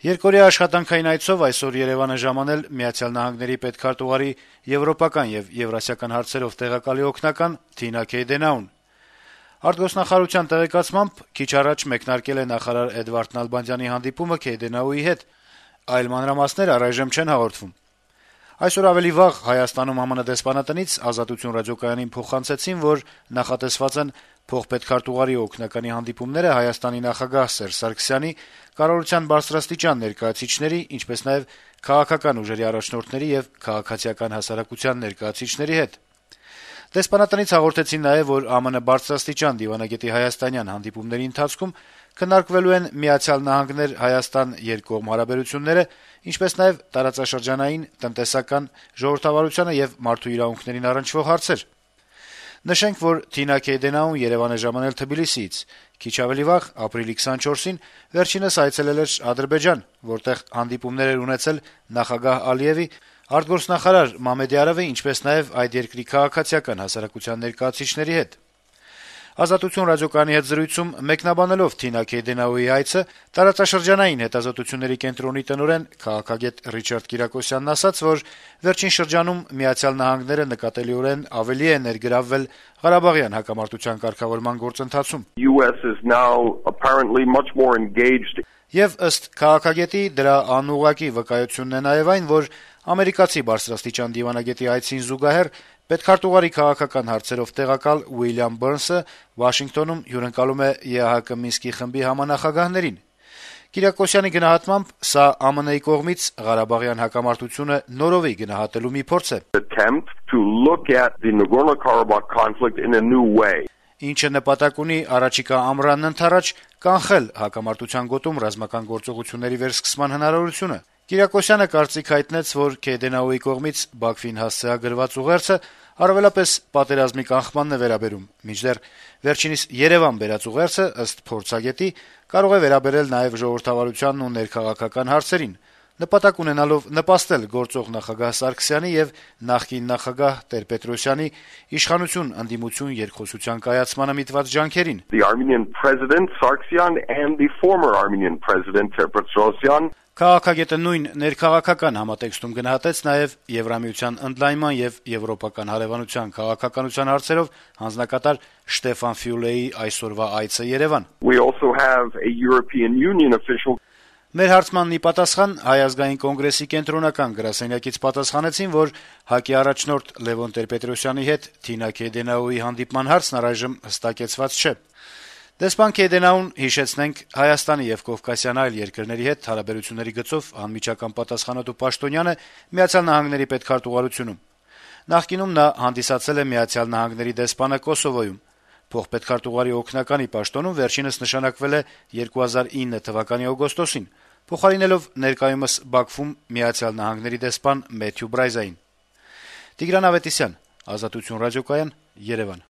Երկօրյա աշխատանքային այցով այսօր Երեւան է ժամանել Միացյալ Նահանգների պետքարտուղարի եվրոպական եւ եվրասիական հարցերով տեղակալի օգնական Թինա Քեյդենաուն։ Արտգործնախարարության տեղեկացմամբ քիչ առաջ մեկնարկել է նախարար Էդվարդ Նալբանդյանի հանդիպումը Քեյդենաուի հետ, այլ մանրամասներ առայժմ չեն հաղորդվում։ Այսօր ավելի վաղ Հայաստանում ԱՄՆ դեսպանատնից Ազատություն ռադիոկայանին փոխանցեցին, որ նախատեսված են փոխպետքարտուղարի օգնականի հանդիպումները Հայաստանի նախագահ Սերժ Սարգսյանի, կառավարության բարձրաստիճան ներկայացուցիչների, ինչպես նաեւ քաղաքական ուժերի առաջնորդների եւ քաղաքացիական հասարակության ներկայացուցիչների հետ։ Դեսպանատնից հաղորդեցին նաեւ, որ ԱՄՆ բարձրաստիճան դիվանագետի հայաստանյան հանդիպումների ընթացքում քննարկվելու են Միացյալ Նահանգներ-Հայաստան երկկողմ հարաբերությունները, ինչպես նաեւ տարածաշրջանային, տնտեսական, ժողովրդավարությանը եւ մարդու իրավունքներին առնչվող հարցեր։ Նշենք, որ Թինա Քեյդենաուն Երեւան է ժամանել Թբիլիսիից։ Քիչ ավելի վաղ, ապրիլի 24-ին, վերջինս այցելել էր Ադրբեջան, որտեղ հանդիպումներ էր ունեցել նախագահ Ալիեւի, արտգործնախարար Մամեդյարովի, ինչպես նաեւ այդ երկրի քաղաքացիական հասարակության ներկայացուցիչների հետ։ Ազատություն ռադիոկայանի հետ զրույցում մեկնաբանելով Թինա Քեյդենաուի այցը, տարածաշրջանային հետազոտությունների կենտրոնի տնօրեն քաղաքագետ Ռիչարդ Կիրակոսյանն ասաց, որ վերջին շրջանում Միացյալ Նահանգները նկատելիորեն ավելի է ներգրավվել Ղարաբաղյան հակամարտության կարգավորման գործընթացում։ Եվ ըստ քաղաքագետի դրա անուղղակի վկայությունն է նաեւ այն, որ ամերիկացի բարձրաստիճան դիվանագետի այցին զուգահեռ պետքարտուղարի քաղաքական հարցերով տեղակալ Ուիլյամ Բըրնսը Վաշինգտոնում հյուրընկալում է ԵԱՀԿ Մինսկի խմբի համանախագահներին։ Կիրակոսյանի գնահատմամբ սա ԱՄՆ-ի կողմից Ղարաբաղյան հակամարտությունը նորովի գնահատելու մի փորձ է, ինչը նպատակ ունի առաջիկա ամռանն ընդառաջ կանխել հակամարտության գոտում ռազմական գործողությունների վերսկսման հնարավորությունը։ Կիրակոսյանը կարծիք հայտնեց, որ Քեյդենաուի կողմից Բաքվին հասցեագրված ուղերձը առավելապես պատերազմի կանխմանն է վերաբերում, մինչդեռ վերջինիս Երեւան բերած ուղերձը, ըստ փորձագետի, կարող է վերաբերել նաեւ ժողովրդավարությանն ու ներքաղաքական հարցերին, նպատակ ունենալով նպաստել գործող նախագահ Սարգսյանի եւ նախկին նախագահ Տեր-Պետրոսյանի իշխանություն-ընդդիմություն երկխոսության կայացմանը միտված ջանքերին։ Քաղաքագետը նույն ներքաղաքական համատեքստում գնահատեց նաեւ Եվրամիության ընդլայնման եւ եվրոպական հարևանության քաղաքականության հարցերով հանձնակատար Շտեֆան Ֆյուլեի այսօրվա այցը Երեւան։ Մեր հարցմանն ի պատասխան Հայ ազգային կոնգրեսի կենտրոնական գրասենյակից պատասխանեցին, որ ՀԱԿ-ի առաջնորդ Լևոն Տեր-Պետրոսյանի հետ Թինա Քեյդենաուի հանդիպման հարցն առայժմ հստակեցված չէ։ Դեսպան Քեյդենաուն, հիշեցնենք, Հայաստանի եւ Կովկասյան այլ երկրների հետ հարաբերությունների գծով անմիջական պատասխանատու պաշտոնյան է Միացյալ Նահանգների պետքարտուղարությունում։ Նախկինում նա հանդիսացել է Միացյալ Նահանգների դեսպանը Կոսովոյում։ Փոխպետքարտուղարի օգնականի պաշտոնում վերջինս նշանակվել է 2009 թվականի օգոստոսին, փոխարինելով ներկայումս Բաքվում Միացյալ Նահանգների դեսպան Մեթյու Բրայզային։ Տիգրան Ավետիսյան, Ազատություն ռադիոկայան, Երեւան։